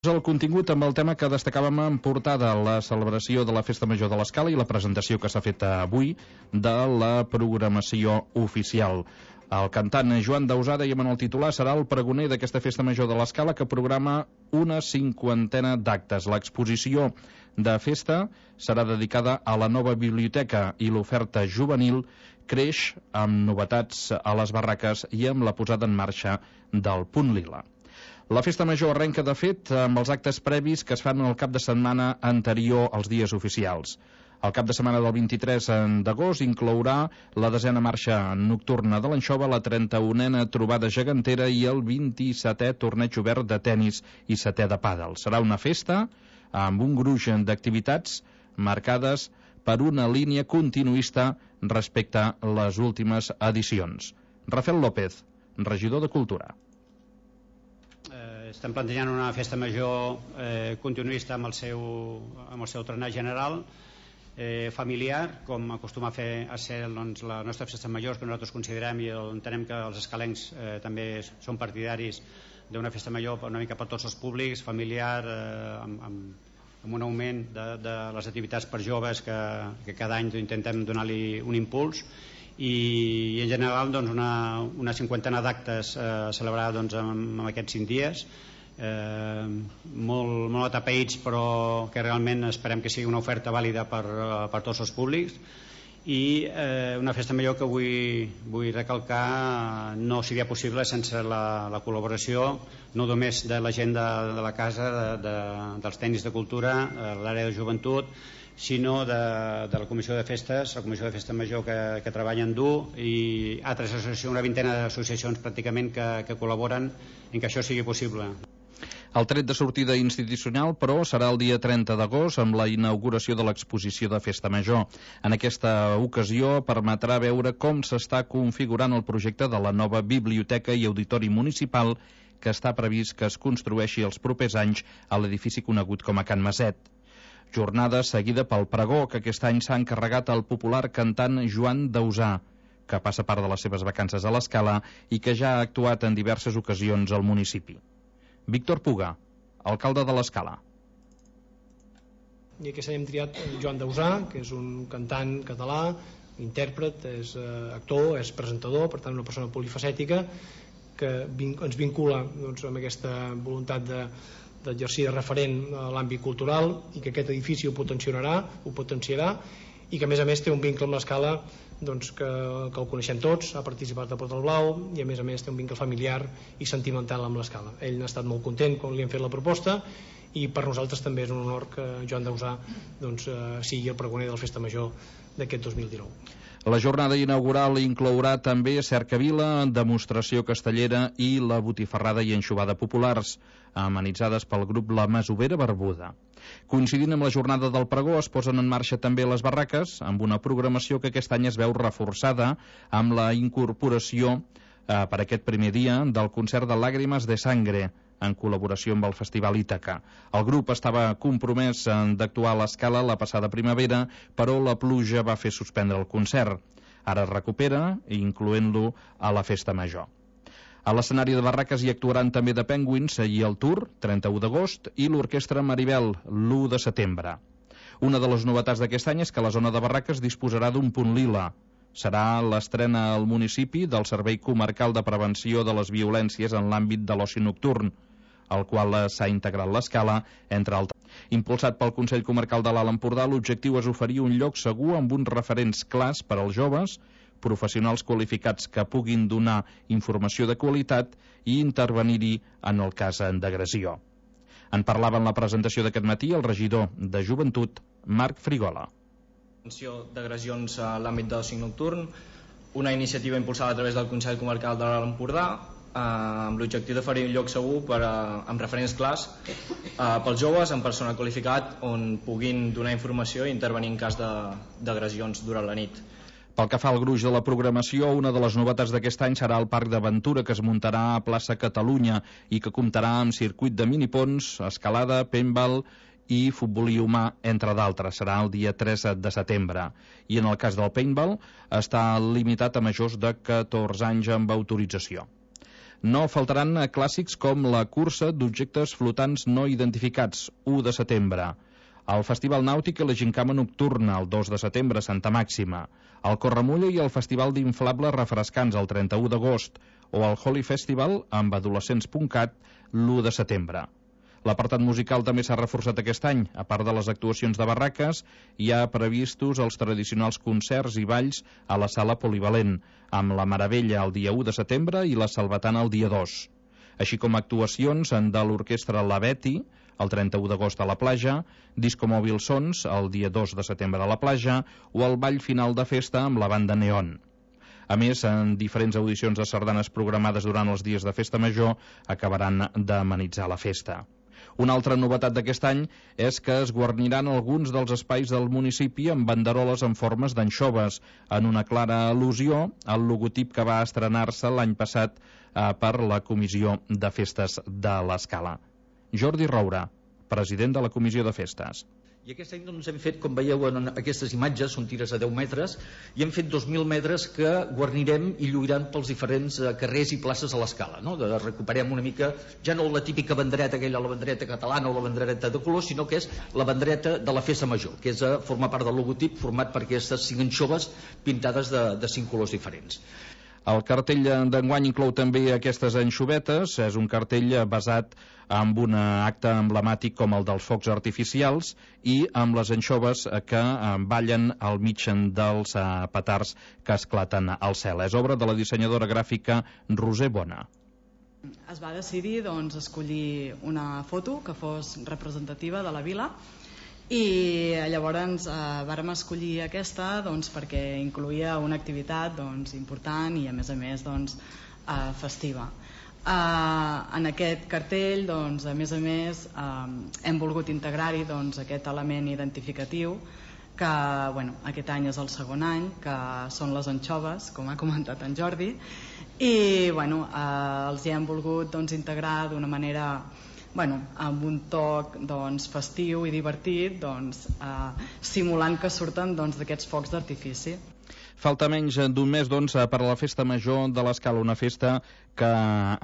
El contingut amb el tema que destacàvem en portada, la celebració de la Festa Major de l'Escala i la presentació que s'ha fet avui de la programació oficial. El cantant Joan Dausà, dèiem en el titular, serà el pregoner d'aquesta Festa Major de l'Escala, que programa una 50ena d'actes. L'exposició de festa serà dedicada a la nova biblioteca i l'oferta juvenil creix amb novetats a les barraques i amb la posada en marxa del Punt Lila. La Festa Major arrenca, de fet, amb els actes previs que es fan el cap de setmana anterior als dies oficials. El cap de setmana del 23 d'agost inclourà la 10a marxa nocturna de l'Anxova, la 31a trobada gegantera i el 27è torneig obert de tennis i 7è de pàdel. Serà una festa amb un gruix d'activitats marcades per una línia continuista respecte a les últimes edicions. Rafael López, regidor de Cultura. Estem plantejant una festa major continuista amb el seu torneig general, familiar, com acostuma a ser doncs, la nostra festa major, que nosaltres considerem i entenem que els escalencs també són partidaris d'una festa major una mica per tots els públics, familiar, amb un augment de les activitats per joves que cada any intentem donar-li un impuls, i en general doncs, una 50ena d'actes celebrada doncs, en aquests 5 dies, molt atapeïts, però que realment esperem que sigui una oferta vàlida per tots els públics, i una festa major que vull recalcar no seria possible sense la col·laboració no només de la gent de la casa, dels tècnics de cultura, l'àrea de joventut, sinó de la Comissió de Festes, la Comissió de Festa Major que treballen dur, i altres associacions, una 20a d'associacions pràcticament que col·laboren en que això sigui possible. El tret de sortida institucional, però, serà el dia 30 d'agost amb la inauguració de l'exposició de Festa Major. En aquesta ocasió permetrà veure com s'està configurant el projecte de la nova biblioteca i auditori municipal que està previst que es construeixi els propers anys a l'edifici conegut com a Can Maset. Jornada seguida pel pregó que aquest any s'ha encarregat al popular cantant Joan Dausà, que passa part de les seves vacances a l'Escala i que ja ha actuat en diverses ocasions al municipi. Víctor Puga, alcalde de l'Escala. I aquest any hem triat Joan Dausà, que és un cantant català, intèrpret, és actor, és presentador, per tant una persona polifacètica que ens vincula doncs, amb aquesta voluntat d'exercir de referent a l'àmbit cultural, i que aquest edifici ho potenciarà, i que a més té un vincle amb l'Escala doncs, que el coneixem tots, ha participat a Portal Blau, i a més té un vincle familiar i sentimental amb l'Escala. Ell n'ha estat molt content quan li hem fet la proposta, i per nosaltres també és un honor que Joan Dausà doncs, sigui el pregoner de la Festa Major d'aquest 2019. La jornada inaugural inclourà també cercavila, demostració castellera i la botifarrada i anxovada populars, amenitzades pel grup La Masovera Barbuda. Coincidint amb la jornada del pregó, es posen en marxa també les barraques, amb una programació que aquest any es veu reforçada amb la incorporació per aquest primer dia del concert de Lágrimas de Sangre, en col·laboració amb el Festival Ítaca. El grup estava compromès d'actuar a l'Escala la passada primavera, però la pluja va fer suspendre el concert. Ara es recupera, incloent-lo a la Festa Major. A l'escenari de barraques hi actuaran també The Penguins i el Tour, 31 d'agost, i l'Orquestra Maribel, l'1 de setembre. Una de les novetats d'aquest any és que la zona de barraques disposarà d'un punt lila. Serà l'estrena al municipi del Servei Comarcal de Prevenció de les Violències en l'àmbit de l'oci nocturn, al qual s'ha integrat l'Escala, entre altres. Impulsat pel Consell Comarcal de l'Alt Empordà, l'objectiu és oferir un lloc segur amb uns referents clars per als joves, professionals qualificats que puguin donar informació de qualitat i intervenir-hi en el cas d'agressió. En parlava en la presentació d'aquest matí el regidor de Joventut, Marc Frigola. D'agressions a l'àmbit de l'oci nocturn, una iniciativa impulsada a través del Consell Comarcal de l'Alt Empordà, amb l'objectiu d'oferir un lloc segur amb referents clars pels joves, amb personal qualificat, on puguin donar informació i intervenir en cas d'agressions durant la nit. Pel que fa al gruix de la programació, una de les novetats d'aquest any serà el Parc d'Aventura, que es muntarà a plaça Catalunya i que comptarà amb circuit de minipons, escalada, paintball i futbolí humà, entre d'altres. Serà el dia 3 de setembre. I en el cas del paintball està limitat a majors de 14 anys amb autorització. No faltaran clàssics com la cursa d'objectes flotants no identificats, 1 de setembre. El Festival Nàutic i la Gincama Nocturna, el 2 de setembre, a Santa Màxima. El Corremulla i el Festival d'Inflables Refrescants, el 31 d'agost. O el Holy Festival amb adolescents.cat, l'1 de setembre. L'apartat musical també s'ha reforçat aquest any. A part de les actuacions de barraques, hi ha previstos els tradicionals concerts i balls a la sala polivalent, amb la Meravella el dia 1 de setembre i la Salvatana el dia 2. Així com actuacions de l'orquestra La Betty, el 31 d'agost a la platja, Disco Mòbil Sons, el dia 2 de setembre a la platja, o el ball final de festa amb la banda Neon. A més, en diferents audicions de sardanes programades durant els dies de festa major acabaran d'amenitzar la festa. Una altra novetat d'aquest any és que es guarniran alguns dels espais del municipi amb banderoles en formes d'anxoves, en una clara al·lusió al logotip que va estrenar-se l'any passat per la Comissió de Festes de l'Escala. Jordi Roura, president de la Comissió de Festes. I aquest any doncs, hem fet, com veieu en aquestes imatges, són tires a 10 metres, i hem fet 2.000 metres que guarnirem i lluiran pels diferents carrers i places a l'Escala, no? Recuperem una mica, ja no la típica bandereta, aquella, la bandereta catalana o la bandereta de color, sinó que és la bandereta de la festa major, que és formar part del logotip format per aquestes 5 anxoves pintades de 5 colors diferents. El cartell d'enguany inclou també aquestes anxovetes. És un cartell basat en un acte emblemàtic com el dels focs artificials i amb les anxoves que ballen al mig dels petards que esclaten al cel. És obra de la dissenyadora gràfica Roser Bona. Es va decidir escollir una foto que fos representativa de la vila i llavors vàrem escollir aquesta perquè incloïa una activitat important i a més festiva. En aquest cartell a més hem volgut integrar-hi aquest element identificatiu que aquest any és el segon any, que són les anxoves, com ha comentat en Jordi, i els hi hem volgut integrar d'una manera amb un toc festiu i divertit, simulant que surten d'aquests focs d'artifici. Falta menys d'un mes per a la Festa Major de l'Escala, una festa que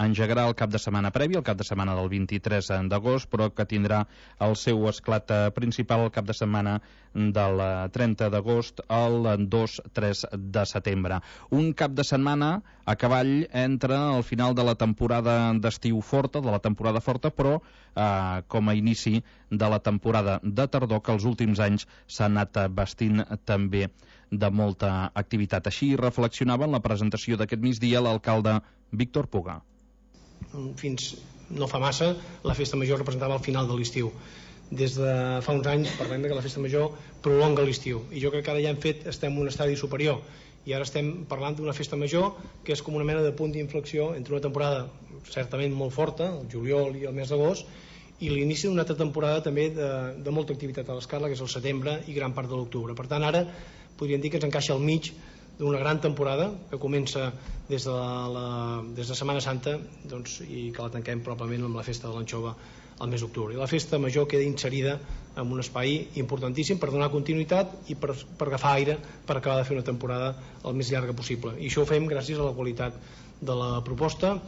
engegarà el cap de setmana previ, el cap de setmana del 23 d'agost, però que tindrà el seu esclat principal el cap de setmana del 30 d'agost al 2-3 de setembre. Un cap de setmana a cavall entre el final de la temporada d'estiu forta, de la temporada forta, però com a inici de la temporada de tardor, que els últims anys s'ha anat vestint també de molta activitat. Així reflexionava en la presentació d'aquest migdia l'alcalde Víctor Puga. Fins no fa massa la festa major representava el final de l'estiu. Des de fa uns anys parlem que la festa major prolonga l'estiu i jo crec que ara ja estem en un estadi superior i ara estem parlant d'una festa major que és com una mena de punt d'inflexió entre una temporada certament molt forta, el juliol i el mes d'agost, i l'inici d'una altra temporada també de molta activitat a l'Escala, que és el setembre i gran part de l'octubre. Per tant, ara podríem dir que ens encaixa al mig d'una gran temporada que comença des de Setmana Santa i que la tanquem probablement amb la festa de l'anxova al mes d'octubre. I la festa major queda inserida en un espai importantíssim per donar continuïtat i per agafar aire per acabar de fer una temporada el més llarga possible. I això ho fem gràcies a la qualitat de la proposta